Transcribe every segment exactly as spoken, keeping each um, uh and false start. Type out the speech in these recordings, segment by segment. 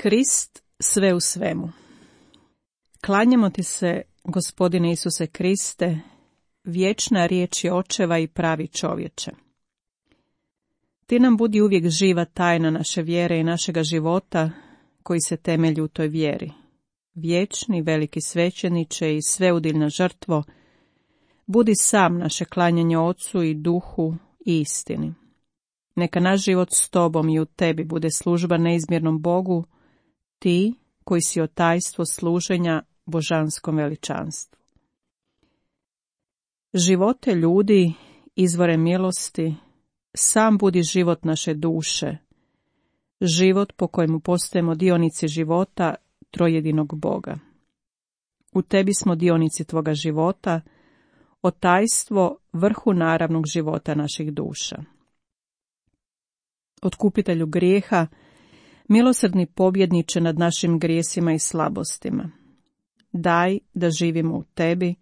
Krist sve u svemu. Klanjamo ti se, Gospodine Isuse Kriste, vječna riječ je očeva i pravi čovječe. Ti nam budi uvijek živa tajna naše vjere i našega života koji se temelji u toj vjeri. Vječni, veliki svećeniče i sveudilna žrtvo, budi sam naše klanjanje Ocu i Duhu i istini. Neka naš život s tobom i u tebi bude služba neizmjernom Bogu, ti koji si otajstvo služenja božanskom veličanstvu. Živote ljudi, izvore milosti, sam budi život naše duše, život po kojemu postajemo dionici života trojedinog Boga. U tebi smo dionici tvoga života, otajstvo vrhu naravnog života naših duša. Otkupitelju grijeha, milosrdni pobjedniče nad našim grijesima i slabostima, daj da živimo u tebi,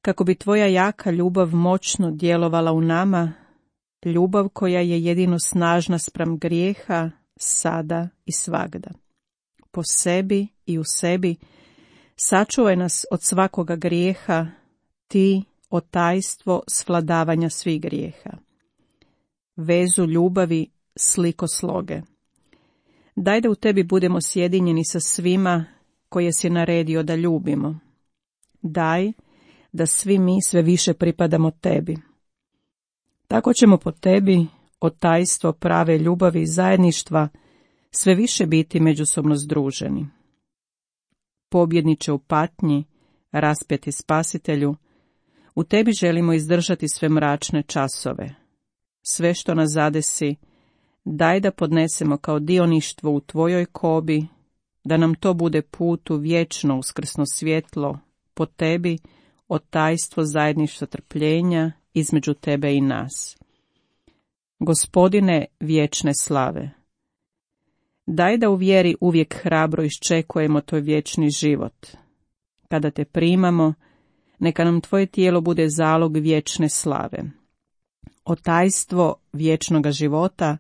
kako bi tvoja jaka ljubav moćno djelovala u nama, ljubav koja je jedino snažna spram grijeha, sada i svagda. Po sebi i u sebi, sačuvaj nas od svakoga grijeha, ti, otajstvo svladavanja svih grijeha. Vezu ljubavi, sliko sloge. Daj da u tebi budemo sjedinjeni sa svima koje si naredio da ljubimo. Daj da svi mi sve više pripadamo tebi. Tako ćemo po tebi, otajstvo prave ljubavi i zajedništva, sve više biti međusobno združeni. Pobjedniče u patnji, raspeti spasitelju, u tebi želimo izdržati sve mračne časove. Sve što nas zadesi, daj da podnesemo kao dioništvo u tvojoj kobi, da nam to bude put u vječno uskrsno svjetlo, po tebi, otajstvo zajedništva trpljenja između tebe i nas. Gospodine vječne slave, daj da u vjeri uvijek hrabro iščekujemo tvoj vječni život. Kada te primamo, neka nam tvoje tijelo bude zalog vječne slave. Otajstvo vječnoga života,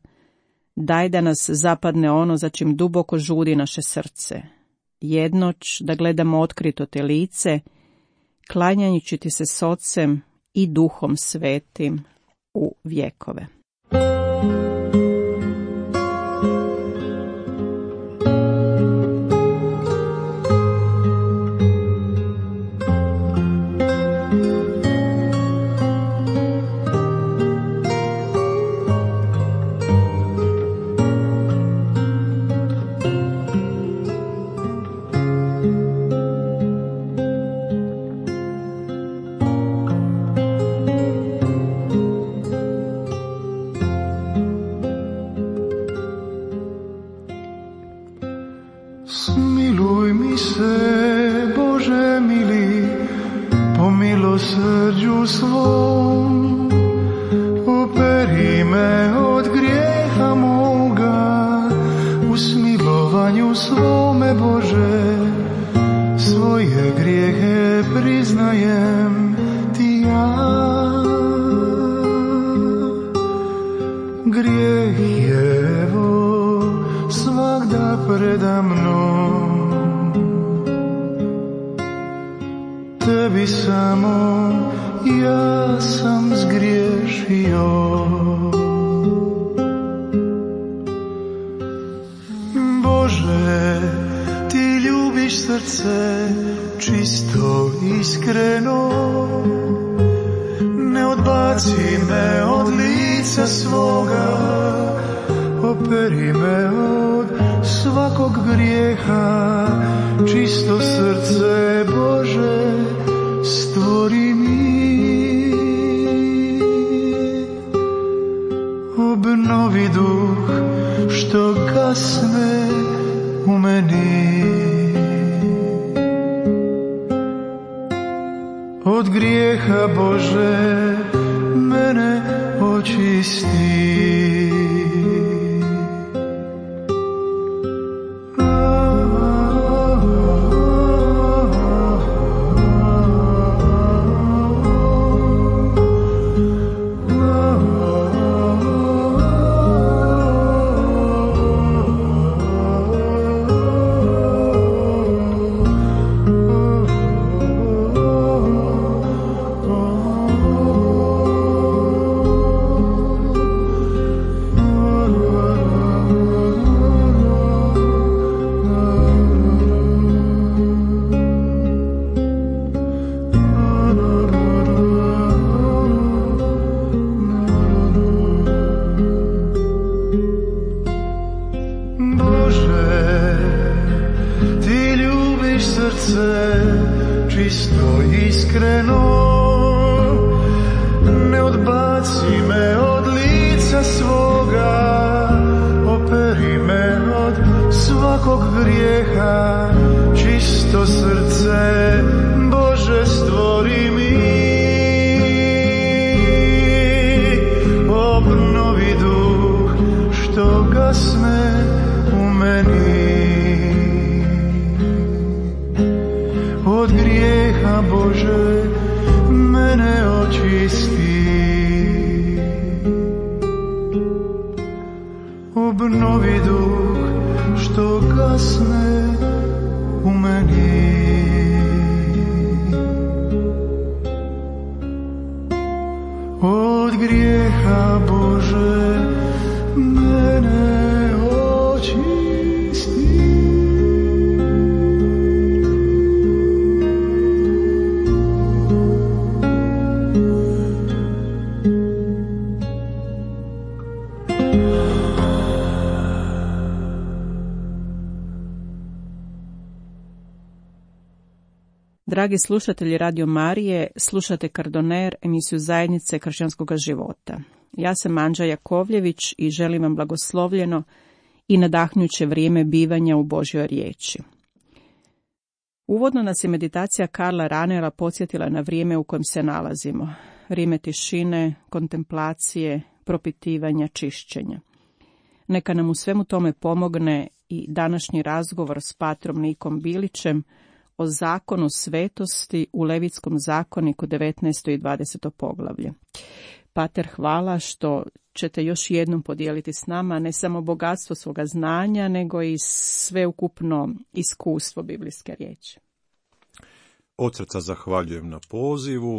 daj da nas zapadne ono za čim duboko žudi naše srce. Jednoć da gledamo otkrito te lice, klanjajući ti se s Ocem i Duhom Svetim u vjekove. Smiluj mi se, Bože mili, po milosrđu svom, operi me od grijeha moga, u smilovanju svome, Bože, svoje grijehe priznajem ti ja. Grijeh je evo svagda preda mnom, tebi samo ja sam zgriješio. Bože, ti ljubiš srce čisto iskreno, ne odbaci me od lica svoga, operi me od svakog grijeha, čisto srce Bože stvori mi. Obnovi duh što gasne u meni, od grijeha Bože mene očisti. čisto srce, Bože stvori mi. Obnovi duh što gasne u meni. Od grijeha, Bože, mene očisti. Obnovi duh što gasne u meni. Od grijeha, Bože, mene očisti. Dragi slušatelji Radio Marije, slušate Kardoner, emisiju Zajednice kršćanskog života. Ja sam Anđa Jakovljević i želim vam blagoslovljeno i nadahnjuće vrijeme bivanja u Božjoj riječi. Uvodno nas je meditacija Karla Ranera podsjetila na vrijeme u kojem se nalazimo. Vrijeme tišine, kontemplacije, propitivanja, čišćenja. Neka nam u svemu tome pomogne i današnji razgovor s patrom Nikom Bilićem o zakonu svetosti u Levitskom zakoniku devetnaesto i dvadeseto poglavlje. Pater, hvala što ćete još jednom podijeliti s nama ne samo bogatstvo svoga znanja, nego i sveukupno iskustvo biblijske riječi. Od srca zahvaljujem na pozivu,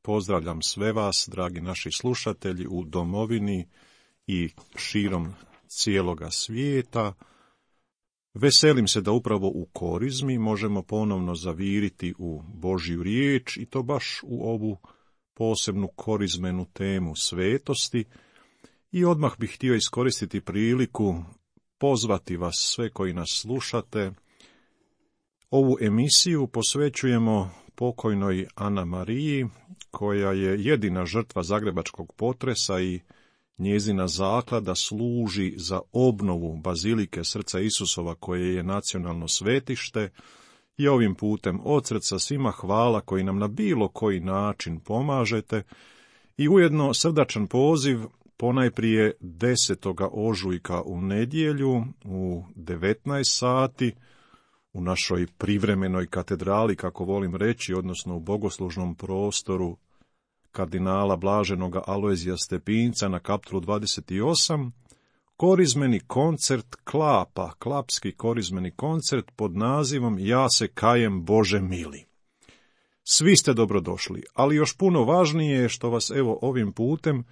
pozdravljam sve vas, dragi naši slušatelji, u domovini i širom cijeloga svijeta. Veselim se da upravo u korizmi možemo ponovno zaviriti u Božju riječ i to baš u ovu posebnu korizmenu temu svetosti. I odmah bih htio iskoristiti priliku pozvati vas sve koji nas slušate. Ovu emisiju posvećujemo pokojnoj Ana Mariji, koja je jedina žrtva zagrebačkog potresa i njezina zaklada služi za obnovu Bazilike Srca Isusova, koje je nacionalno svetište. I ovim putem od srca svima hvala koji nam na bilo koji način pomažete i ujedno srdačan poziv ponajprije desetog ožujka u nedjelju u devetnaest sati u našoj privremenoj katedrali, kako volim reći, odnosno u bogoslužnom prostoru kardinala Blaženoga Alojzija Stepinca na Kaptolu dvadeset osam, korizmeni koncert klapa, klapski korizmeni koncert pod nazivom Ja se kajem, Bože mili. Svi ste dobrodošli, ali još puno važnije je što vas evo ovim putem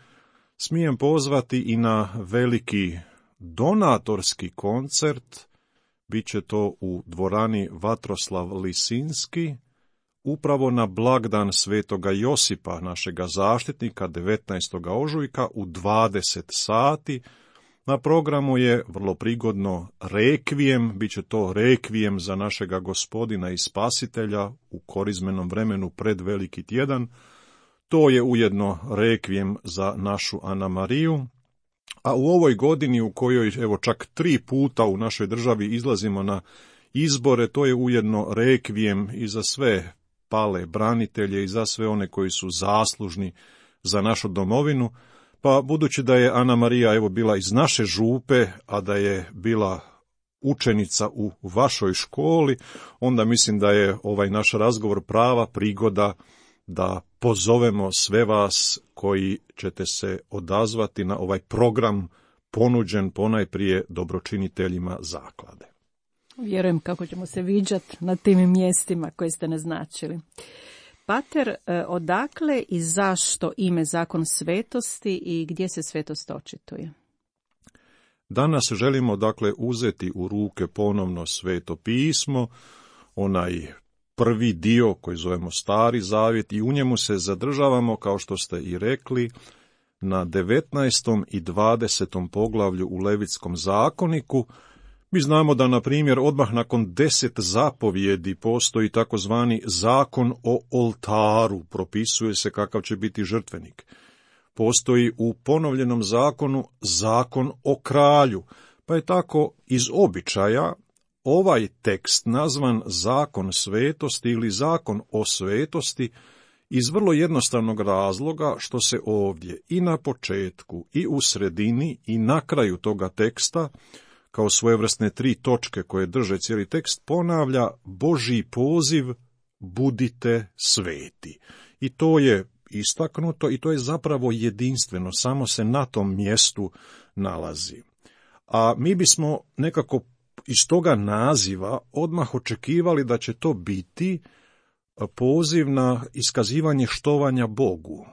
smijem pozvati i na veliki donatorski koncert. Biće to u dvorani Vatroslav Lisinski, upravo na blagdan Svetoga Josipa, našega zaštitnika, devetnaestog ožujka u dvadeset sati. Na programu je vrlo prigodno rekvijem, bit će to rekvijem za našega Gospodina i Spasitelja u korizmenom vremenu pred Veliki tjedan. To je ujedno rekvijem za našu Ana Mariju. A u ovoj godini u kojoj evo čak tri puta u našoj državi izlazimo na izbore, to je ujedno rekvijem i za sve pale branitelje i za sve one koji su zaslužni za našu domovinu. Pa budući da je Ana Marija evo bila iz naše župe, a da je bila učenica u vašoj školi, onda mislim da je ovaj naš razgovor prava prigoda da pozovemo sve vas koji ćete se odazvati na ovaj program ponuđen ponajprije dobročiniteljima zaklade. Vjerujem kako ćemo se viđati na tim mjestima koje ste naznačili. Pater, odakle i zašto ime zakon svetosti i gdje se svetost očituje? Danas želimo dakle uzeti u ruke ponovno Sveto pismo, onaj prvi dio koji zovemo Stari zavjet, i u njemu se zadržavamo, kao što ste i rekli, na devetnaestom i dvadesetom poglavlju u Levitskom zakoniku. Mi znamo da, na primjer, odmah nakon deset zapovjedi postoji takozvani zakon o oltaru, propisuje se kakav će biti žrtvenik. Postoji u ponovljenom zakonu zakon o kralju, pa je tako iz običaja ovaj tekst nazvan zakon svetosti ili zakon o svetosti iz vrlo jednostavnog razloga što se ovdje i na početku i u sredini i na kraju toga teksta, kao svojevrsne tri točke koje drže cijeli tekst, ponavlja Božji poziv budite sveti. I to je istaknuto i to je zapravo jedinstveno, samo se na tom mjestu nalazi. A mi bismo nekako iz toga naziva odmah očekivali da će to biti poziv na iskazivanje štovanja Bogu,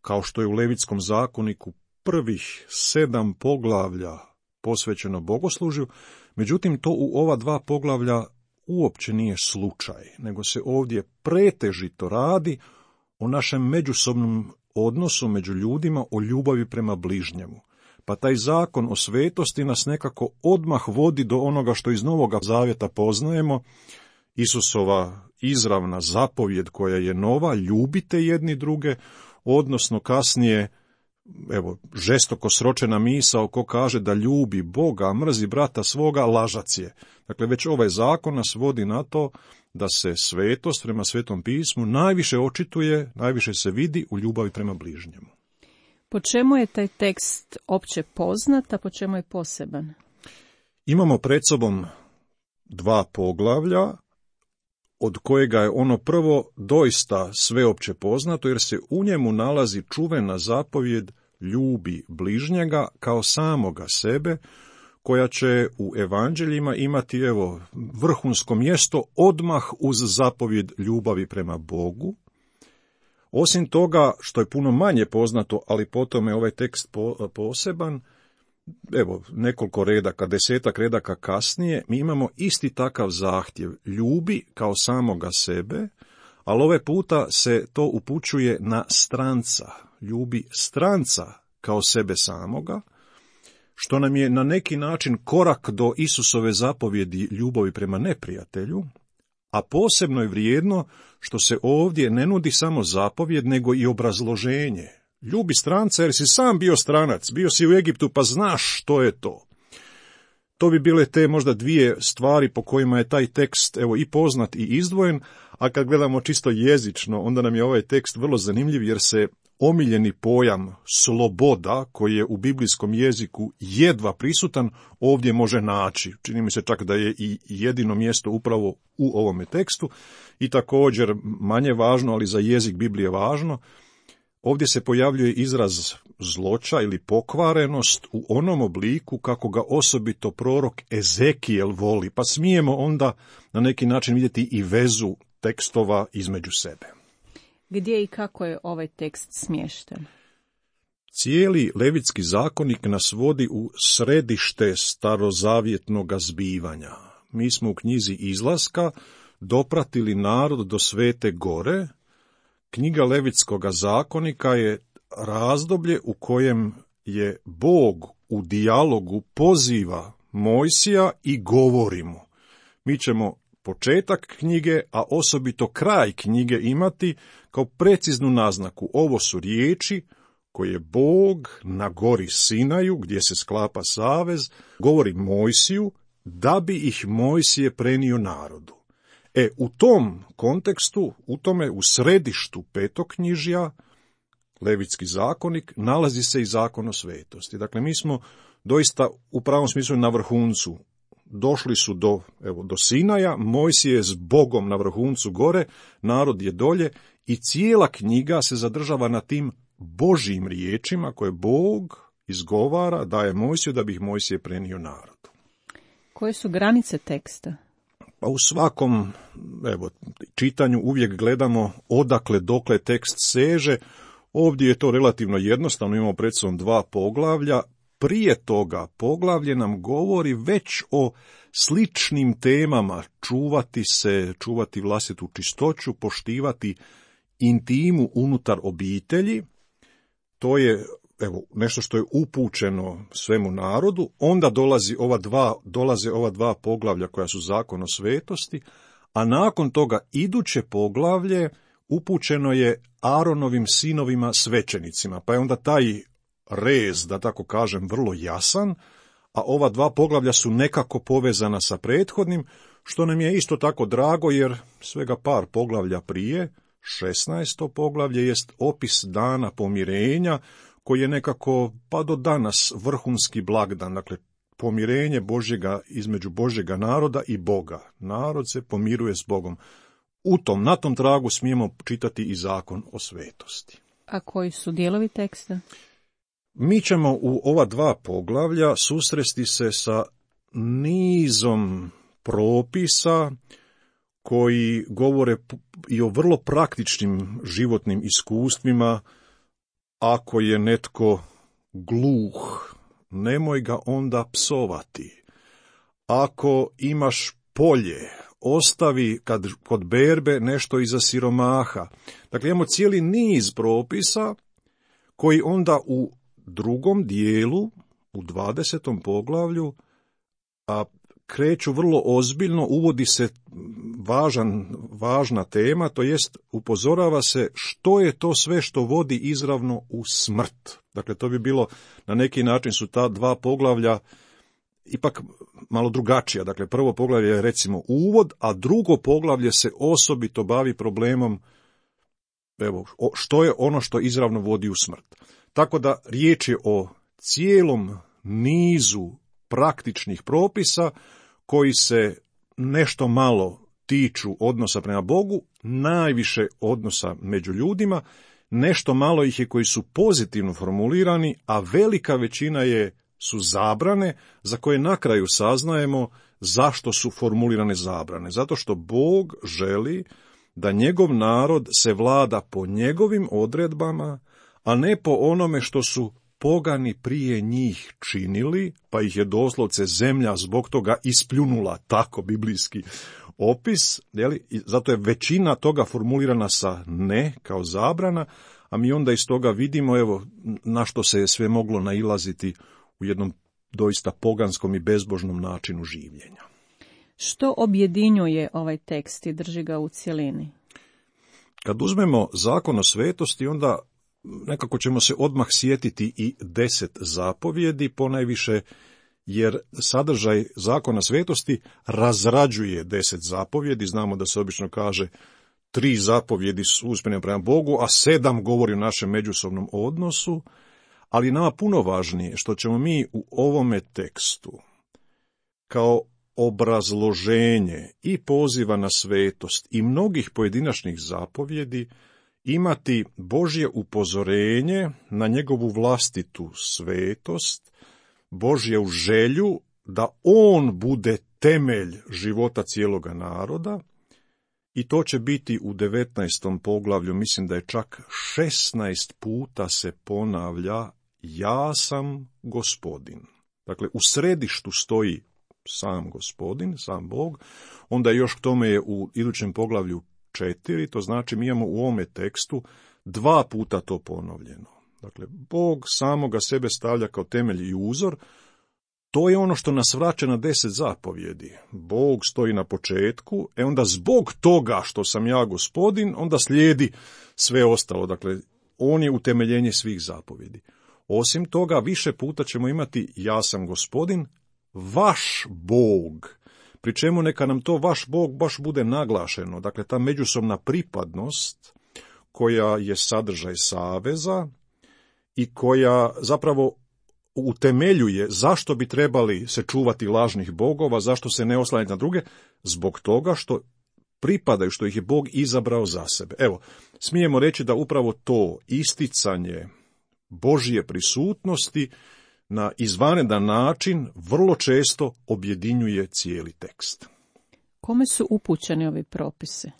kao što je u Levitskom zakoniku prvih sedam poglavlja posvećeno bogoslužju, međutim to u ova dva poglavlja uopće nije slučaj, nego se ovdje pretežito radi o našem međusobnom odnosu među ljudima, o ljubavi prema bližnjemu. Pa taj zakon o svetosti nas nekako odmah vodi do onoga što iz Novoga Zavjeta poznajemo, Isusova izravna zapovjed koja je nova, ljubite jedni druge, odnosno kasnije, evo, žestoko sročena misao ko kaže da ljubi Boga, a mrzi brata svoga, lažac je. Dakle, već ovaj zakon nas vodi na to da se svetost prema Svetom pismu najviše očituje, najviše se vidi u ljubavi prema bližnjemu. Po čemu je taj tekst opće poznat, a po čemu je poseban? Imamo pred sobom dva poglavlja, od kojega je ono prvo doista sveopće poznato, jer se u njemu nalazi čuvena zapovjed ljubi bližnjega kao samoga sebe, koja će u evanđeljima imati, evo, vrhunsko mjesto odmah uz zapovjed ljubavi prema Bogu. Osim toga, što je puno manje poznato, ali potom je ovaj tekst po, poseban, evo, nekoliko redaka, desetak redaka kasnije, mi imamo isti takav zahtjev, ljubi kao samoga sebe, ali ovaj puta se to upućuje na stranca, ljubi stranca kao sebe samoga, što nam je na neki način korak do Isusove zapovjedi ljubavi prema neprijatelju, a posebno je vrijedno što se ovdje ne nudi samo zapovjed, nego i obrazloženje. Ljubi stranca jer si sam bio stranac, bio si u Egiptu pa znaš što je to. To bi bile te možda dvije stvari po kojima je taj tekst, evo, i poznat i izdvojen, a kad gledamo čisto jezično, onda nam je ovaj tekst vrlo zanimljiv jer se omiljeni pojam sloboda, koji je u biblijskom jeziku jedva prisutan, ovdje može naći. Čini mi se čak da je i jedino mjesto upravo u ovome tekstu i također manje važno, ali za jezik Biblije važno, ovdje se pojavljuje izraz zloća ili pokvarenost u onom obliku kako ga osobito prorok Ezekijel voli, pa smijemo onda na neki način vidjeti i vezu tekstova između sebe. Gdje i kako je ovaj tekst smješten? Cijeli Levitski zakonik nas vodi u središte starozavjetnog zbivanja. Mi smo u knjizi Izlaska dopratili narod do Svete Gore. Knjiga Levitskog zakonika je razdoblje u kojem je Bog u dijalogu poziva Mojsija i govori mu. Mi ćemo početak knjige, a osobito kraj knjige imati kao preciznu naznaku. Ovo su riječi koje Bog na gori Sinaju, gdje se sklapa savez, govori Mojsiju da bi ih Mojsije prenio narodu. E, u tom kontekstu, u tome u središtu petoknjižja, Levitski zakonik, nalazi se i zakon o svetosti. Dakle, mi smo doista u pravom smislu na vrhuncu. Došli su do, evo, do Sinaja, Mojsije je s Bogom na vrhuncu gore, narod je dolje i cijela knjiga se zadržava na tim Božjim riječima koje Bog izgovara, daje Mojsiju da bi ih Mojsije prenio narodu. Koje su granice teksta? Pa u svakom, evo, čitanju uvijek gledamo odakle dokle tekst seže. Ovdje je to relativno jednostavno, imamo pred sobom dva poglavlja. Prije toga poglavlje nam govori već o sličnim temama, čuvati se, čuvati vlastitu čistoću, poštivati intimu unutar obitelji. To je, evo, nešto što je upućeno svemu narodu. Onda dolazi ova dva, dolaze ova dva poglavlja koja su zakon o svetosti, a nakon toga iduće poglavlje upućeno je Aaronovim sinovima svećenicima, pa je onda taj rez, da tako kažem, vrlo jasan, a ova dva poglavlja su nekako povezana sa prethodnim, što nam je isto tako drago, jer svega par poglavlja prije, šesnaesto poglavlje, jest opis dana pomirenja, koji je nekako, pa do danas, vrhunski blagdan, dakle, pomirenje Božjega, između Božjega naroda i Boga. Narod se pomiruje s Bogom. U tom, na tom tragu smijemo čitati i zakon o svetosti. A koji su dijelovi teksta? Mi ćemo u ova dva poglavlja susresti se sa nizom propisa koji govore i o vrlo praktičnim životnim iskustvima. Ako je netko gluh, nemoj ga onda psovati. Ako imaš polje, ostavi kad, kod berbe nešto iza siromaha. Dakle, imamo cijeli niz propisa koji onda u drugom dijelu, u dvadesetom poglavlju, a kreću vrlo ozbiljno, uvodi se važan, važna tema, to jest upozorava se što je to sve što vodi izravno u smrt. Dakle, to bi bilo, na neki način su ta dva poglavlja ipak malo drugačija. Dakle, prvo poglavlje je recimo uvod, a drugo poglavlje se osobito bavi problemom, evo, što je ono što izravno vodi u smrt. Tako da riječ je o cijelom nizu praktičnih propisa koji se nešto malo tiču odnosa prema Bogu, najviše odnosa među ljudima, nešto malo ih je koji su pozitivno formulirani, a velika većina je su zabrane za koje na kraju saznajemo zašto su formulirane zabrane. Zato što Bog želi da njegov narod se vlada po njegovim odredbama, a ne po onome što su pogani prije njih činili, pa ih je doslovce zemlja zbog toga ispljunula, tako biblijski opis, jeli? I zato je većina toga formulirana sa ne, kao zabrana, a mi onda iz toga vidimo, evo, na što se je sve moglo nailaziti u jednom doista poganskom i bezbožnom načinu življenja. Što objedinjuje ovaj tekst i drži ga u cjelini? Kad uzmemo zakon o svetosti, onda nekako ćemo se odmah sjetiti i deset zapovjedi, ponajviše jer sadržaj zakona svetosti razrađuje deset zapovjedi. Znamo da se obično kaže tri zapovjedi su usmjerene prema Bogu, a sedam govori o našem međusobnom odnosu, ali nama puno važnije što ćemo mi u ovome tekstu kao obrazloženje i poziva na svetost i mnogih pojedinačnih zapovjedi imati Božje upozorenje na njegovu vlastitu svetost, Božju želju da on bude temelj života cijeloga naroda, i to će biti u devetnaestom poglavlju, mislim da je čak šesnaest puta se ponavlja ja sam Gospodin. Dakle, u središtu stoji sam Gospodin, sam Bog, onda još k tome je u idućem poglavlju četiri, to znači mi imamo u ovome tekstu dva puta to ponovljeno. Dakle, Bog samoga sebe stavlja kao temelj i uzor, to je ono što nas vraća na deset zapovjedi. Bog stoji na početku, e onda zbog toga što sam ja Gospodin, onda slijedi sve ostalo. Dakle, on je utemeljenje svih zapovjedi. Osim toga, više puta ćemo imati ja sam Gospodin, vaš Bog, pri čemu neka nam to vaš Bog baš bude naglašeno. Dakle, ta međusobna pripadnost koja je sadržaj saveza i koja zapravo utemeljuje zašto bi trebali se čuvati lažnih bogova, zašto se ne oslanjati na druge, zbog toga što pripadaju, što ih je Bog izabrao za sebe. Evo, smijemo reći da upravo to isticanje Božje prisutnosti na izvanredan način vrlo često objedinjuje cijeli tekst. Kome su upućeni ovi propisi?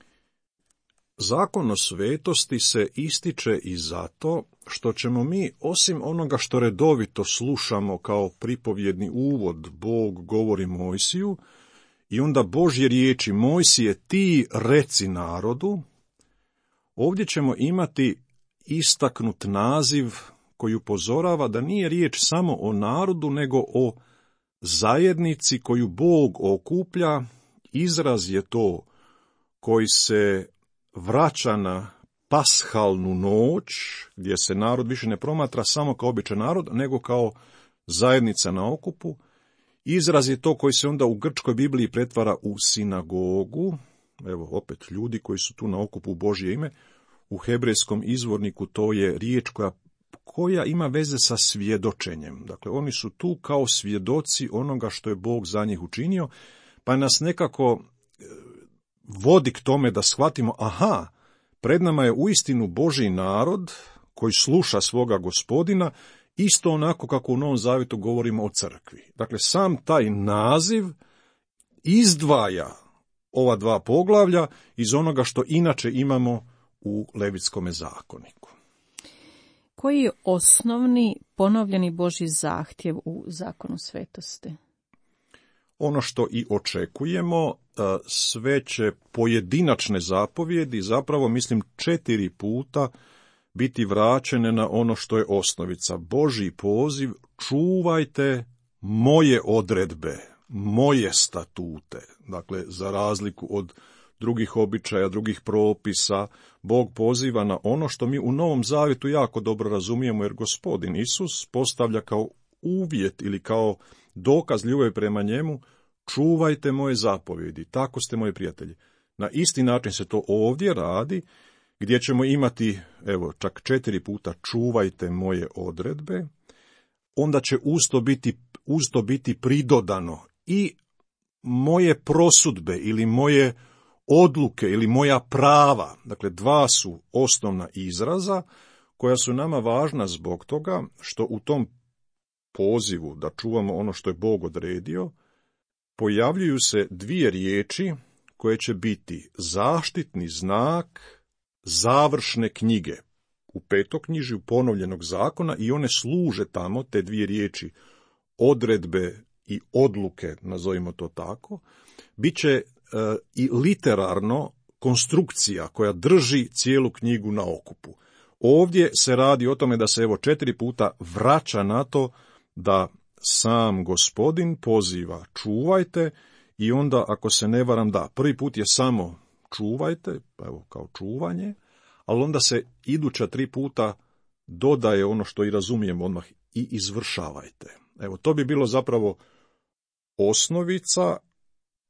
Zakon o svetosti se ističe i zato što ćemo mi, osim onoga što redovito slušamo kao pripovjedni uvod, Bog govori Mojsiju, i onda Božje riječi Mojsije ti reci narodu, ovdje ćemo imati istaknut naziv koji upozorava da nije riječ samo o narodu, nego o zajednici koju Bog okuplja. Izraz je to koji se vraća na pashalnu noć, gdje se narod više ne promatra samo kao običan narod, nego kao zajednica na okupu. Izraz je to koji se onda u grčkoj Bibliji pretvara u sinagogu. Evo, opet ljudi koji su tu na okupu u Božje ime. U hebrejskom izvorniku to je riječ koja, koja ima veze sa svjedočenjem. Dakle, oni su tu kao svjedoci onoga što je Bog za njih učinio, pa nas nekako vodi k tome da shvatimo, aha, pred nama je uistinu Božji narod koji sluša svoga Gospodina, isto onako kako u Novom Zavjetu govorimo o crkvi. Dakle, sam taj naziv izdvaja ova dva poglavlja iz onoga što inače imamo u Levitskome zakoniku. Koji je osnovni ponovljeni Božji zahtjev u zakonu svetosti? Ono što i očekujemo, sve će pojedinačne zapovjedi, zapravo mislim četiri puta, biti vraćene na ono što je osnovica. Božji poziv, čuvajte moje odredbe, moje statute. Dakle, za razliku od drugih običaja, drugih propisa, Bog poziva na ono što mi u Novom Zavjetu jako dobro razumijemo, jer Gospodin Isus postavlja kao uvjet ili kao dokaz ljubavi prema njemu, čuvajte moje zapovjedi, tako ste moji prijatelji. Na isti način se to ovdje radi, gdje ćemo imati, evo, čak četiri puta čuvajte moje odredbe, onda će usto biti, usto biti pridodano i moje prosudbe ili moje odluke ili moja prava. Dakle, dva su osnovna izraza koja su nama važna zbog toga što u tom pozivu da čuvamo ono što je Bog odredio, pojavljuju se dvije riječi koje će biti zaštitni znak završne knjige u petoknjižju ponovljenog zakona i one služe tamo, te dvije riječi, odredbe i odluke, nazovimo to tako, bit će e, i literarno konstrukcija koja drži cijelu knjigu na okupu. Ovdje se radi o tome da se evo četiri puta vraća na to da sam Gospodin poziva čuvajte i onda, ako se ne varam, da, prvi put je samo čuvajte, pa evo kao čuvanje, ali onda se iduća tri puta dodaje ono što i razumijemo odmah, i izvršavajte. Evo, to bi bilo zapravo osnovica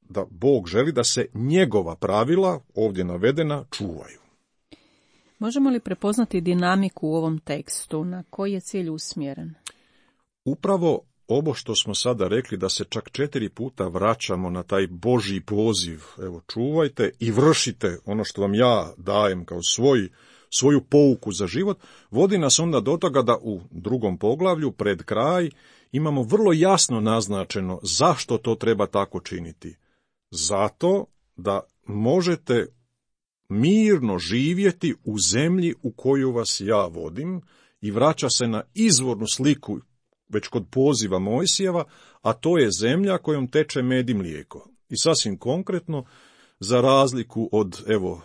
da Bog želi da se njegova pravila, ovdje navedena, čuvaju. Možemo li prepoznati dinamiku u ovom tekstu, na koji je cilj usmjeren? Upravo ovo što smo sada rekli, da se čak četiri puta vraćamo na taj Božji poziv, evo čuvajte i vršite ono što vam ja dajem kao svoj, svoju pouku za život, vodi nas onda do toga da u drugom poglavlju, pred kraj, imamo vrlo jasno naznačeno zašto to treba tako činiti. Zato da možete mirno živjeti u zemlji u koju vas ja vodim, i vraća se na izvornu sliku već kod poziva Mojsijeva, a to je zemlja kojom teče med i mlijeko. I sasvim konkretno, za razliku od, evo,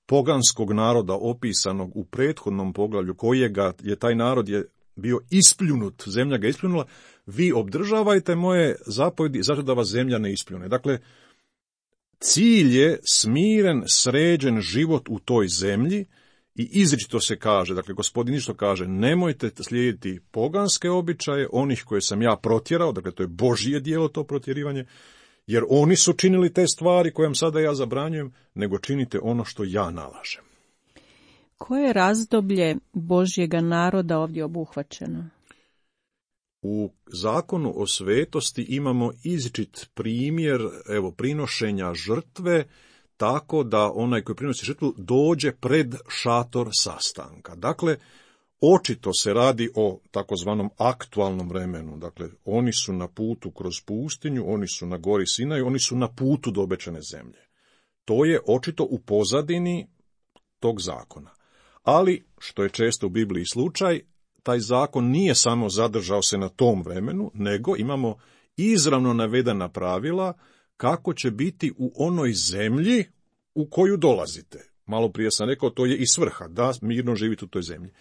poganskog naroda opisanog u prethodnom poglavlju, kojega je taj narod je bio ispljunut, zemlja ga ispljunula, vi obdržavajte moje zapovjedi zato da vas zemlja ne ispljune. Dakle, cilj je smiren, sređen život u toj zemlji, i izričito se kaže, dakle, Gospodin isto kaže, nemojte slijediti poganske običaje, onih koje sam ja protjerao, dakle, to je Božje djelo, to protjerivanje, jer oni su činili te stvari koje vam sada ja zabranjujem, nego činite ono što ja nalažem. Koje je razdoblje Božjega naroda ovdje obuhvaćeno? U zakonu o svetosti imamo izričit primjer, evo, prinošenja žrtve, tako da onaj koji prinosi žrtvu dođe pred šator sastanka. Dakle, očito se radi o takozvanom aktualnom vremenu. Dakle, oni su na putu kroz pustinju, oni su na gori Sinaju, oni su na putu do obećane zemlje. To je očito u pozadini tog zakona. Ali, što je često u Bibliji slučaj, taj zakon nije samo zadržao se na tom vremenu, nego imamo izravno navedena pravila kako će biti u onoj zemlji u koju dolazite. Malo prije sam rekao, to je i svrha, da mirno živite u toj zemlji.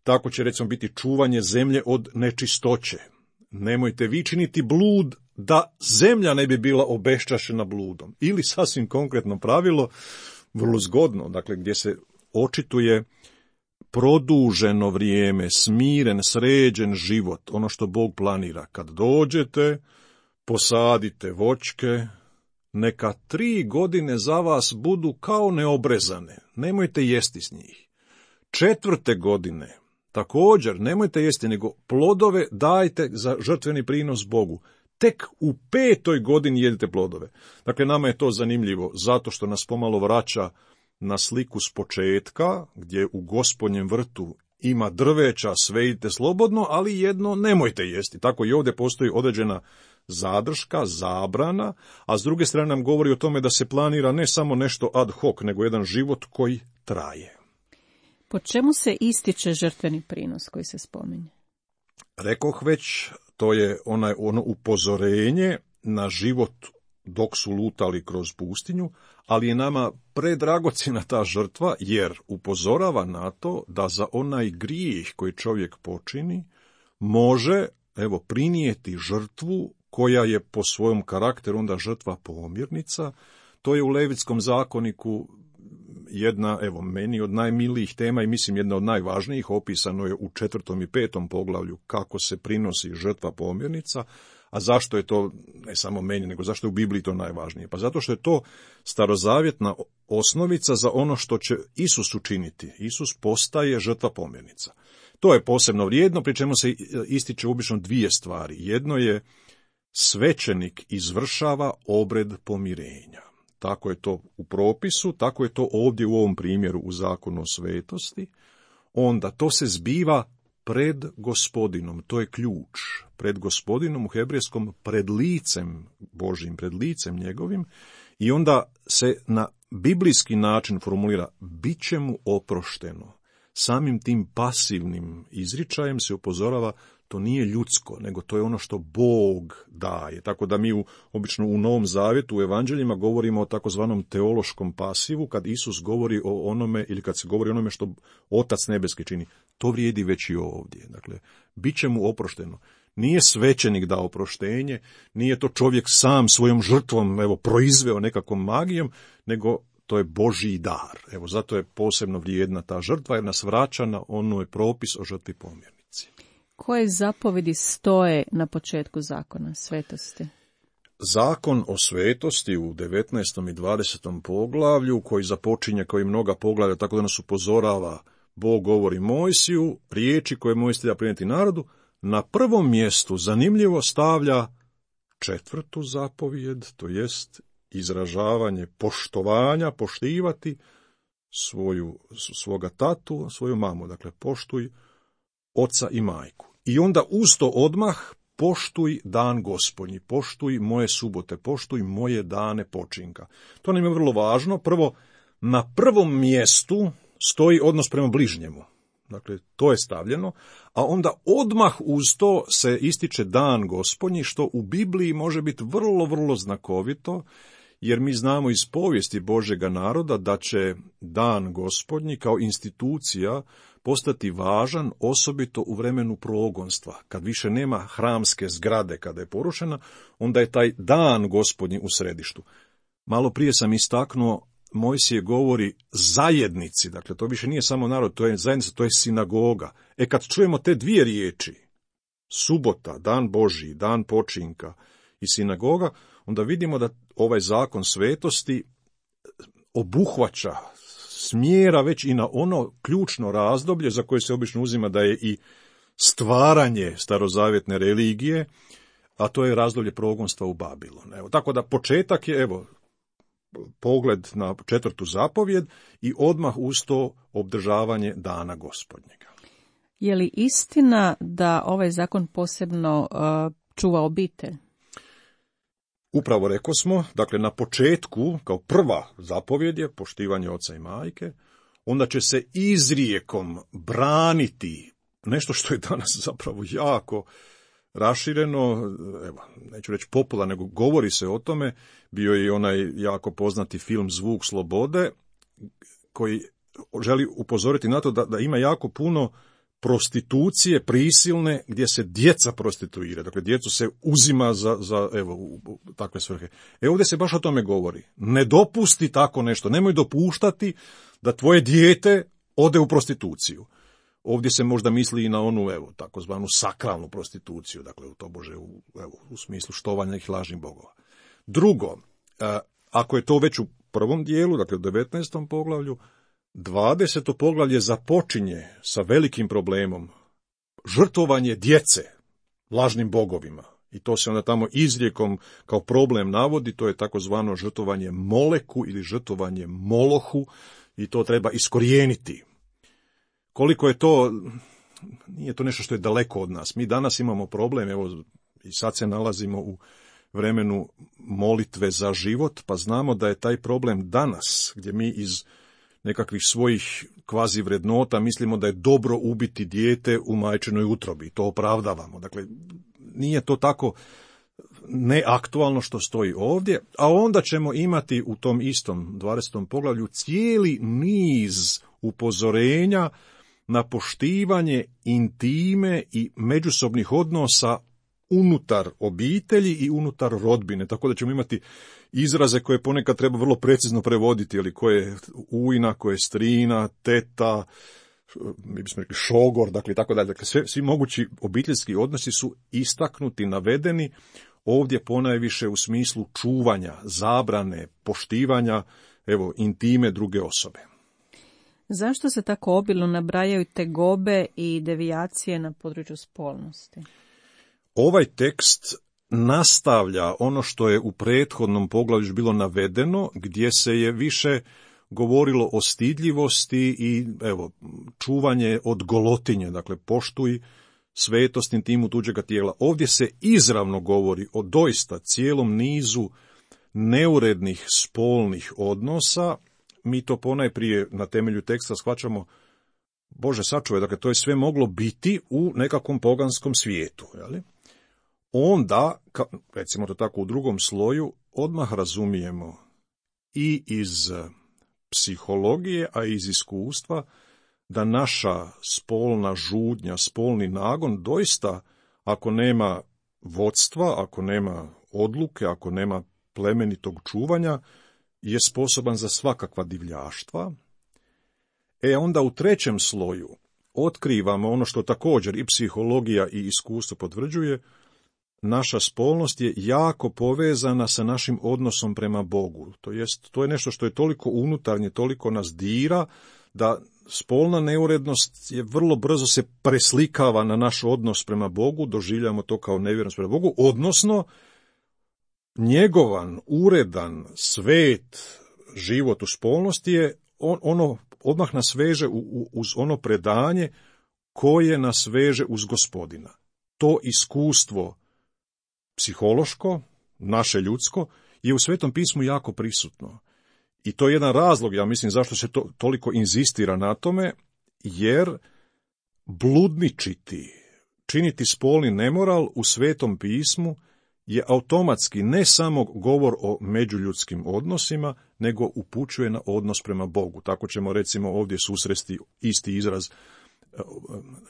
Tako će, recimo, biti čuvanje zemlje od nečistoće. Nemojte vi činiti blud da zemlja ne bi bila obeščašena bludom. Ili sasvim konkretno pravilo, vrlo zgodno, dakle, gdje se očituje produženo vrijeme, smiren, sređen život, ono što Bog planira. Kad dođete, posadite voćke, neka tri godine za vas budu kao neobrezane, nemojte jesti s njih. Četvrte godine, također, nemojte jesti, nego plodove dajte za žrtveni prinos Bogu. Tek u petoj godini jedite plodove. Dakle, nama je to zanimljivo, zato što nas pomalo vraća na sliku s početka, gdje u Gospodnjem vrtu ima drveća, sve jedite slobodno, ali jedno nemojte jesti. Tako i ovdje postoji određena zadrška, zabrana, a s druge strane nam govori o tome da se planira ne samo nešto ad hoc, nego jedan život koji traje. Po čemu se ističe žrtveni prinos koji se spominje? Rekoh već, to je onaj, ono upozorenje na život dok su lutali kroz pustinju, ali je nama predragocjena ta žrtva, jer upozorava na to da za onaj grijeh koji čovjek počini može, evo, prinijeti žrtvu koja je po svojom karakteru onda žrtva pomirnica. To je u Levitskom zakoniku jedna, evo, meni od najmilijih tema i mislim jedna od najvažnijih, opisano je u četvrtom i petom poglavlju kako se prinosi žrtva pomirnica. A zašto je to, ne samo meni, nego zašto je u Bibliji to najvažnije? Pa zato što je to starozavjetna osnovica za ono što će Isus učiniti. Isus postaje žrtva pomirnica. To je posebno vrijedno, pri čemu se ističe obično dvije stvari. Jedno je svećenik izvršava obred pomirenja. Tako je to u propisu, tako je to ovdje u ovom primjeru u zakonu o svetosti. Onda to se zbiva pred Gospodinom, to je ključ. Pred Gospodinom u hebrejskom, pred licem Božjim, pred licem njegovim, i onda se na biblijski način formulira, bit će mu oprošteno. Samim tim pasivnim izričajem se upozorava, to nije ljudsko, nego to je ono što Bog daje. Tako da mi u, obično u Novom Zavjetu, u Evanđeljima, govorimo o takozvanom teološkom pasivu, kad Isus govori o onome, ili kad se govori o onome što Otac nebeski čini. To vrijedi već i ovdje. Dakle, bit će mu oprošteno. Nije svećenik dao oproštenje, nije to čovjek sam svojom žrtvom, evo, proizveo nekakvom magijom, nego to je Božji dar. Evo, zato je posebno vrijedna ta žrtva, jer nas vraća na onoj propis o žrtvi pomirnici. Koje zapovedi stoje na početku zakona svetosti? Zakon o svetosti u devetnaestom i dvadesetom poglavlju, koji započinje kao i mnoga poglavlja, tako da nas upozorava, Bog govori Mojsiju, riječi koje Mojsije treba prenijeti narodu, na prvom mjestu zanimljivo stavlja četvrtu zapovijed, to jest izražavanje poštovanja, poštivati svoju, svoga tatu, svoju mamu, dakle poštuj oca i majku. I onda uz to odmah poštuj dan Gospodnji, poštuj moje subote, poštuj moje dane počinka. To nam je vrlo važno. Prvo, na prvom mjestu stoji odnos prema bližnjemu. Dakle, to je stavljeno, a onda odmah uz to se ističe dan Gospodnji, što u Bibliji može biti vrlo, vrlo znakovito, jer mi znamo iz povijesti Božjega naroda da će dan Gospodnji kao institucija postati važan, osobito u vremenu progonstva. Kad više nema hramske zgrade, kada je porušena, onda je taj dan Gospodnji u središtu. Malo prije sam istaknuo, Mojsije govori zajednici, dakle to više nije samo narod, to je zajednica, to je sinagoga. E kad čujemo te dvije riječi, subota, dan Božji, dan počinka i sinagoga, onda vidimo da ovaj zakon svetosti obuhvaća, smjera već i na ono ključno razdoblje za koje se obično uzima da je i stvaranje starozavjetne religije, a to je razdoblje progonstva u Babilon. Evo, tako da početak je, evo, pogled na četvrtu zapovjed i odmah uz to obdržavanje dana Gospodnjega. Je li istina da ovaj zakon posebno uh, čuva obitelj? Upravo rekosmo, dakle na početku, kao prva zapovjed je poštivanje oca i majke, onda će se izrijekom braniti nešto što je danas zapravo jako rašireno, evo, neću reći popularno, nego govori se o tome. Bio je i onaj jako poznati film Zvuk slobode, koji želi upozoriti na to da, da ima jako puno prostitucije prisilne gdje se djeca prostituira. Dakle, djecu se uzima za, za evo, u, u takve svrhe. E ovdje se baš o tome govori. Ne dopusti tako nešto. Nemoj dopuštati da tvoje dijete ode u prostituciju. Ovdje se možda misli i na onu, evo, takozvanu sakralnu prostituciju, dakle, to bože, u, evo, u smislu štovanja nekih lažnih bogova. Drugo, ako je to već u prvom dijelu, dakle u devetnaestom poglavlju, dvadeseto poglavlje započinje sa velikim problemom, žrtvovanje djece lažnim bogovima. I to se onda tamo izrijekom kao problem navodi, to je takozvano žrtvovanje Moleku ili žrtvovanje Molohu i to treba iskorijeniti. Koliko je to, nije to nešto što je daleko od nas. Mi danas imamo problem, evo i sad se nalazimo u vremenu molitve za život, pa znamo da je taj problem danas, gdje mi iz nekakvih svojih kvazi vrednota mislimo da je dobro ubiti dijete u majčinoj utrobi, to opravdavamo. Dakle, nije to tako neaktualno što stoji ovdje, a onda ćemo imati u tom istom dvadesetom poglavlju cijeli niz upozorenja na poštivanje intime i međusobnih odnosa unutar obitelji i unutar rodbine, tako da ćemo imati izraze koje ponekad treba vrlo precizno prevoditi, ali koje je ujna, koje je strina, teta, mi bismo rekli šogor, dakle tako dalje. Dakle, sve, svi mogući obiteljski odnosi su istaknuti, navedeni, ovdje ponajviše u smislu čuvanja, zabrane, poštivanja, evo, intime druge osobe. Zašto se tako obilno nabrajaju tegobe i devijacije na području spolnosti? Ovaj tekst nastavlja ono što je u prethodnom poglavlju bilo navedeno, gdje se je više govorilo o stidljivosti i evo, čuvanje od golotinje, dakle poštuj svetost intimu tuđega tijela. Ovdje se izravno govori o doista cijelom nizu neurednih spolnih odnosa. Mi to ponajprije na temelju teksta shvaćamo, Bože sačuvaj, dakle to je sve moglo biti u nekakvom poganskom svijetu, jeli? Onda, recimo to tako u drugom sloju, odmah razumijemo i iz psihologije, a i iz iskustva, da naša spolna žudnja, spolni nagon, doista, ako nema vodstva, ako nema odluke, ako nema plemenitog čuvanja, je sposoban za svakakva divljaštva. E onda u trećem sloju otkrivamo ono što također i psihologija i iskustvo potvrđuje, naša spolnost je jako povezana sa našim odnosom prema Bogu. To jest, to je nešto što je toliko unutarnje, toliko nas dira, da spolna neurednost je vrlo brzo se preslikava na naš odnos prema Bogu, doživljamo to kao nevjernost prema Bogu, odnosno njegovan, uredan, svet život u spolnosti je on, ono odmah nas veže u, u, uz ono predanje koje nas veže uz Gospodina. To iskustvo psihološko, naše ljudsko, je u Svetom pismu jako prisutno. I to je jedan razlog, ja mislim, zašto se to toliko inzistira na tome, jer bludničiti, činiti spolni nemoral u Svetom pismu je automatski ne samo govor o međuljudskim odnosima, nego upućuje na odnos prema Bogu. Tako ćemo recimo ovdje susresti isti izraz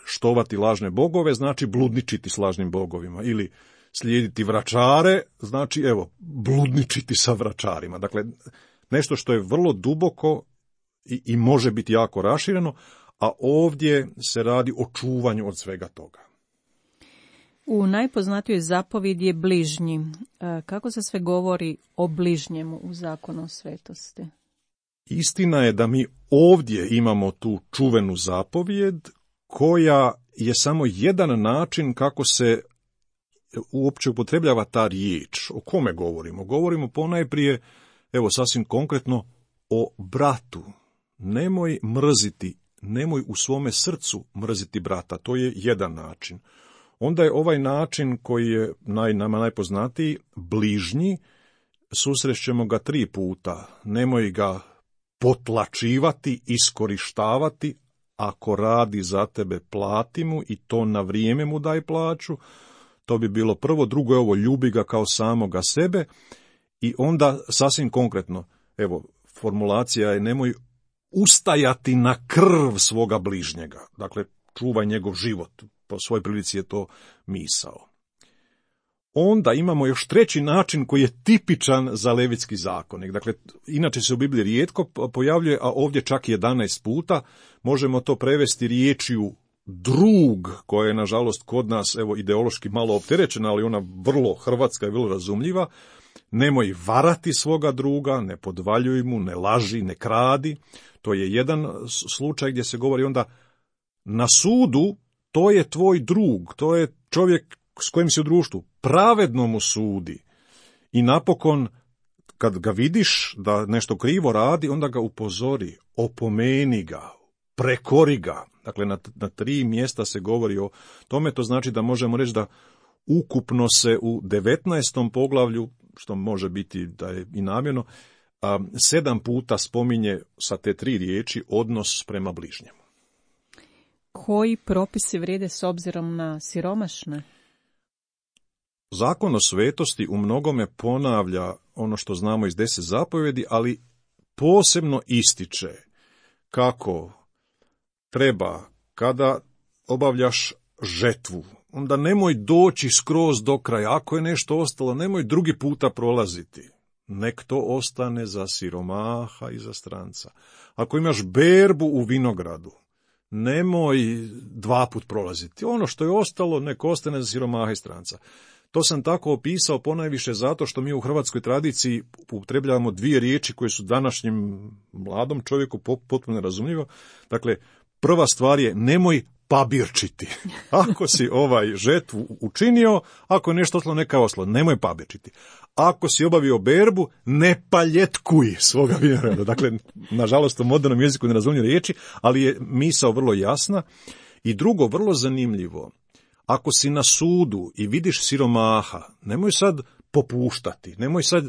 štovati lažne bogove, znači bludničiti s lažnim bogovima, ili slijediti vračare, znači evo, bludničiti sa vračarima. Dakle, nešto što je vrlo duboko i, i može biti jako rašireno, a ovdje se radi o čuvanju od svega toga. U najpoznatijoj zapovjedi je bližnji. Kako se sve govori o bližnjemu u zakonu o svetosti? Istina je da mi ovdje imamo tu čuvenu zapovjed, koja je samo jedan način kako se uopće upotrebljava ta riječ. O kome govorimo? Govorimo ponajprije, evo sasvim konkretno, o bratu. Nemoj mrziti, nemoj u svome srcu mrziti brata. To je jedan način. Onda je ovaj način koji je naj, nama najpoznatiji, bližnji, susrećemo ga tri puta. Nemoj ga potlačivati, iskorištavati, ako radi za tebe plati mu i to na vrijeme mu daj plaću. To bi bilo prvo, drugo je ovo, ljubi ga kao samoga sebe i onda sasvim konkretno, evo, formulacija je nemoj ustajati na krv svoga bližnjega, dakle, čuvaj njegov život, po svojoj prilici je to misao. Onda imamo još treći način koji je tipičan za Levitski zakonik, dakle, inače se u Bibliji rijetko pojavljuje, a ovdje čak jedanaest puta, možemo to prevesti riječju drug, koja je nažalost kod nas evo ideološki malo opterećena, ali ona vrlo hrvatska i vrlo razumljiva, nemoj varati svoga druga, ne podvaljuj mu, ne laži, ne kradi. To je jedan slučaj gdje se govori onda na sudu, to je tvoj drug, to je čovjek s kojim si u društvu, pravedno mu sudi. I napokon, kad ga vidiš da nešto krivo radi, onda ga upozori, opomeni ga, prekori ga. Dakle, na, na tri mjesta se govori o tome, to znači da možemo reći da ukupno se u devetnaestom poglavlju, što može biti da je i namjerno, a, sedam puta spominje sa te tri riječi odnos prema bližnjemu. Koji propisi vrijede s obzirom na siromašne? Zakon o svetosti u mnogome ponavlja ono što znamo iz deset zapovjedi, ali posebno ističe kako treba, kada obavljaš žetvu, onda nemoj doći skroz do kraja. Ako je nešto ostalo, nemoj drugi puta prolaziti. Nek to ostane za siromaha i za stranca. Ako imaš berbu u vinogradu, nemoj dva put prolaziti. Ono što je ostalo, nek ostane za siromaha i stranca. To sam tako opisao ponajviše zato što mi u hrvatskoj tradiciji upotrebljavamo dvije riječi koje su današnjem mladom čovjeku potpuno razumljivo. Dakle, prva stvar je nemoj pabirčiti. Ako si ovaj žetvu učinio, ako je nešto ostalo, neka oslo, nemoj pabirčiti. Ako si obavio berbu, ne paljetkuj svoga vinograda. Dakle, nažalost, u modernom jeziku ne razumijem riječi, ali je misao vrlo jasna. I drugo, vrlo zanimljivo, ako si na sudu i vidiš siromaha, nemoj sad popuštati, nemoj sad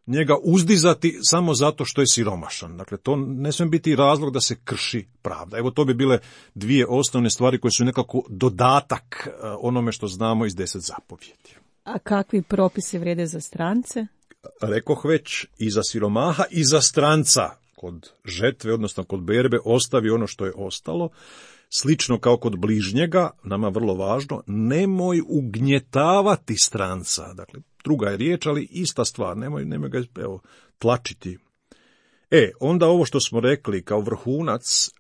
njega uzdizati samo zato što je siromašan. Dakle, to ne smije biti razlog da se krši pravda. Evo, to bi bile dvije osnovne stvari koje su nekako dodatak onome što znamo iz deset zapovjedi. A kakvi propisi vrijede za strance? Rekoh već, i za siromaha i za stranca. Kod žetve, odnosno kod berbe, ostavi ono što je ostalo. Slično kao kod bližnjega, nama vrlo važno, nemoj ugnjetavati stranca. Dakle, druga je riječ, ali ista stvar, nemoj, nemoj ga evo, tlačiti. E, onda ovo što smo rekli kao vrhunac,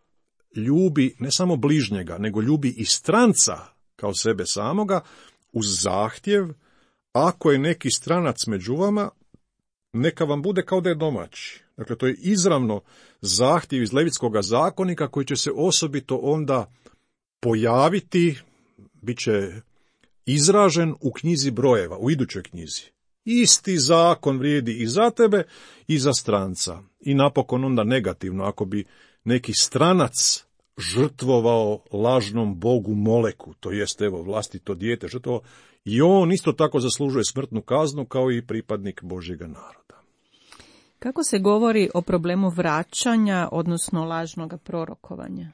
ljubi ne samo bližnjega, nego ljubi i stranca kao sebe samoga, uz zahtjev, ako je neki stranac među vama, neka vam bude kao da je domaći. Dakle, to je izravno zahtjev iz Levitskoga zakonika koji će se osobito onda pojaviti, bit će izražen u knjizi brojeva, u idućoj knjizi. Isti zakon vrijedi i za tebe i za stranca. I napokon onda negativno, ako bi neki stranac žrtvovao lažnom bogu Moleku, to jest evo vlastito dijete žrtvovao, i on isto tako zaslužuje smrtnu kaznu kao i pripadnik Božjega naroda. Kako se govori o problemu vraćanja, odnosno lažnog prorokovanja?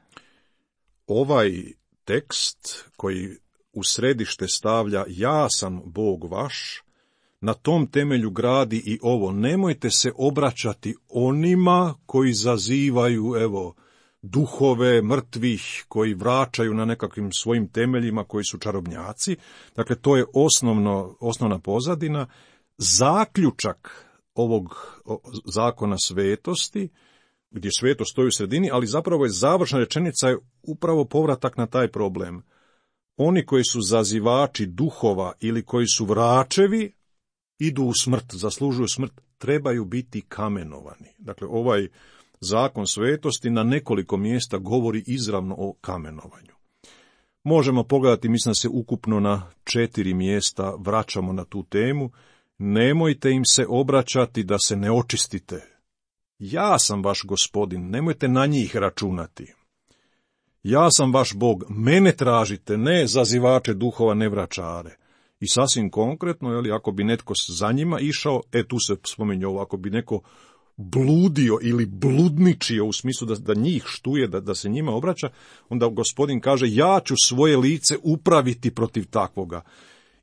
Ovaj tekst koji u središte stavlja ja sam Bog vaš, na tom temelju gradi i ovo. Nemojte se obraćati onima koji zazivaju, evo, duhove mrtvih, koji vraćaju na nekakvim svojim temeljima, koji su čarobnjaci. Dakle, to je osnovno, osnovna pozadina. Zaključak ovog zakona svetosti, gdje svetost stoji u sredini, ali zapravo je završna rečenica je upravo povratak na taj problem. Oni koji su zazivači duhova ili koji su vračevi, idu u smrt, zaslužuju smrt, trebaju biti kamenovani. Dakle, ovaj zakon svetosti na nekoliko mjesta govori izravno o kamenovanju. Možemo pogledati, mislim da se ukupno na četiri mjesta vraćamo na tu temu. Nemojte im se obraćati da se ne očistite. Ja sam vaš gospodin, nemojte na njih računati. Ja sam vaš Bog, mene tražite, ne zazivače duhova, ne vračare. I sasvim konkretno, jeli, ako bi netko za njima išao, e tu se spominje ovo, ako bi neko bludio ili bludničio u smislu da, da njih štuje, da, da se njima obraća, onda gospodin kaže ja ću svoje lice upraviti protiv takvoga.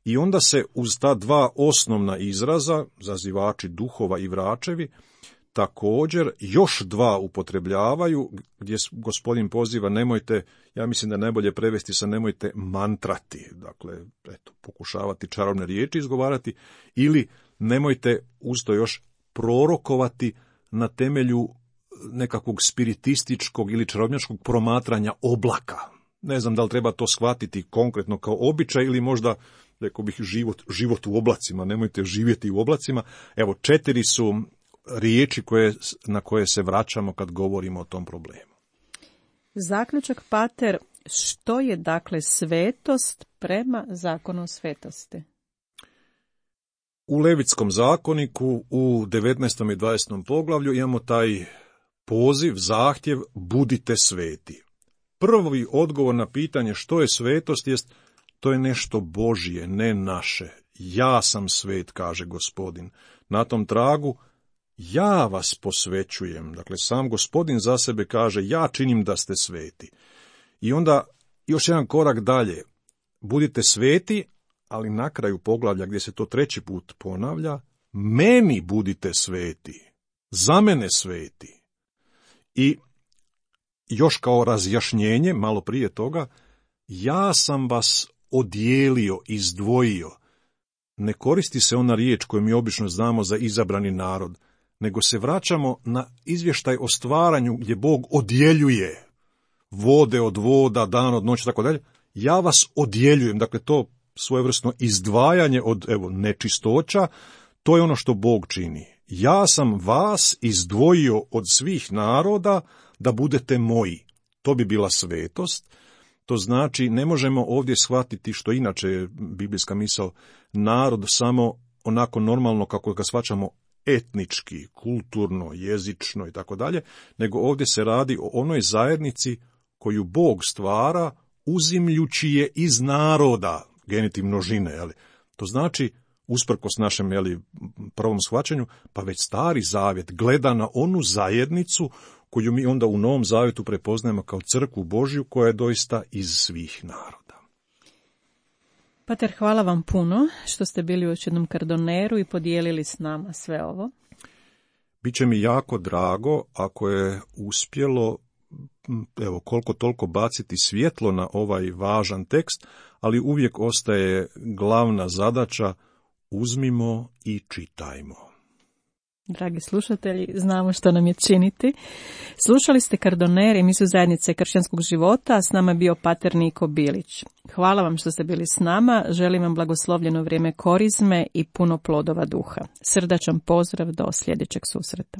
I onda se uz ta dva osnovna izraza, zazivači duhova i vračevi, također još dva upotrebljavaju, gdje gospodin poziva nemojte, ja mislim da je najbolje prevesti sa nemojte mantrati, dakle, eto, pokušavati čarobne riječi izgovarati, ili nemojte uz to još prorokovati na temelju nekakvog spiritističkog ili čarobnjačkog promatranja oblaka. Ne znam da li treba to shvatiti konkretno kao običaj ili možda, rekao bih, život, život u oblacima. Nemojte živjeti u oblacima. Evo, četiri su riječi koje, na koje se vraćamo kad govorimo o tom problemu. Zaključak, pater, što je dakle svetost prema zakonu o svetosti? U Levitskom zakoniku u devetnaestom i dvadesetom poglavlju imamo taj poziv, zahtjev, budite sveti. Prvi odgovor na pitanje što je svetost jest, to je nešto Božje, ne naše. Ja sam svet, kaže Gospodin. Na tom tragu, ja vas posvećujem. Dakle, sam Gospodin za sebe kaže, ja činim da ste sveti. I onda još jedan korak dalje, budite sveti, ali na kraju poglavlja gdje se to treći put ponavlja, meni budite sveti, za mene sveti. I još kao razjašnjenje, malo prije toga, ja sam vas odijelio, izdvojio. Ne koristi se ona riječ koju mi obično znamo za izabrani narod, nego se vraćamo na izvještaj o stvaranju gdje Bog odjeljuje vode od voda, dan od noći, tako dalje. Ja vas odjeljujem, dakle to svojevrsno izdvajanje od evo nečistoća, to je ono što Bog čini. Ja sam vas izdvojio od svih naroda da budete moji. To bi bila svetost. To znači, ne možemo ovdje shvatiti, što inače je biblijska misao, narod samo onako normalno kako ga shvaćamo etnički, kulturno, jezično i tako dalje, nego ovdje se radi o onoj zajednici koju Bog stvara uzimljući je iz naroda, genitiv množine, jeli. To znači, usprkos našem jeli, prvom shvaćanju, pa već Stari Zavjet gleda na onu zajednicu koju mi onda u Novom Zavjetu prepoznajemo kao crkvu Božju koja je doista iz svih naroda. Pater, hvala vam puno što ste bili u još jednom Kardoneru i podijelili s nama sve ovo. Biće mi jako drago ako je uspjelo, evo, koliko toliko baciti svjetlo na ovaj važan tekst, ali uvijek ostaje glavna zadaća, uzmimo i čitajmo. Dragi slušatelji, znamo što nam je činiti. Slušali ste Kardoner, emisiju Zajednice kršćanskog života, a s nama je bio pater Niko Bilić. Hvala vam što ste bili s nama, želim vam blagoslovljeno vrijeme korizme i puno plodova duha. Srdačan pozdrav do sljedećeg susreta.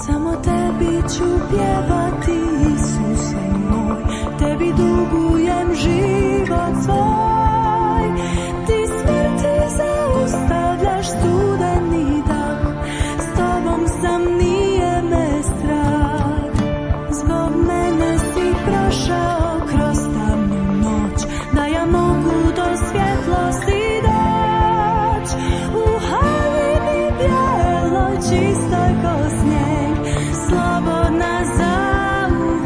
Samo tebi ću pjevati, Isuse moj, tebi dugujem život svoj. Ti smrti zaustavljaš studeni dah, s tobom sam, nije me strah. Zbog mene si prošao kroz tamnu noć, da ja mogu do svjetlosti doć. U haljini bijeloj, čistoj ko snijeg, slobodna zauvijek.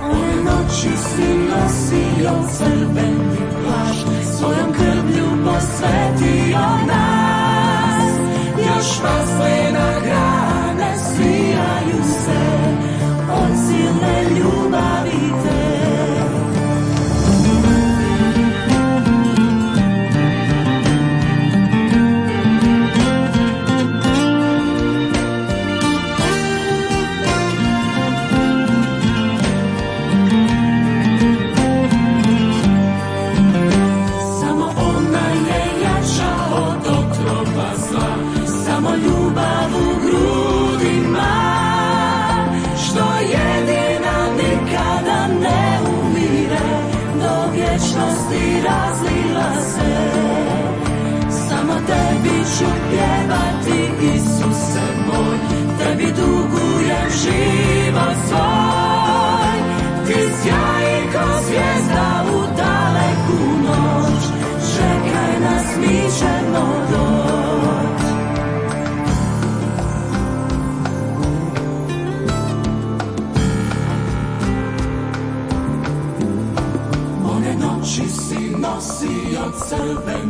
One noći si nosio crveni plašt, svojom krvlju posvetio nas. Još vaslena grane svijaju se od silne ljubavi te. Razlila se, samo tebi ću pjevati, Isuse moj, tebi dugujem život svoj. Ti sjaji ko zvijezda u ćemo doći. One noći si nosio crvene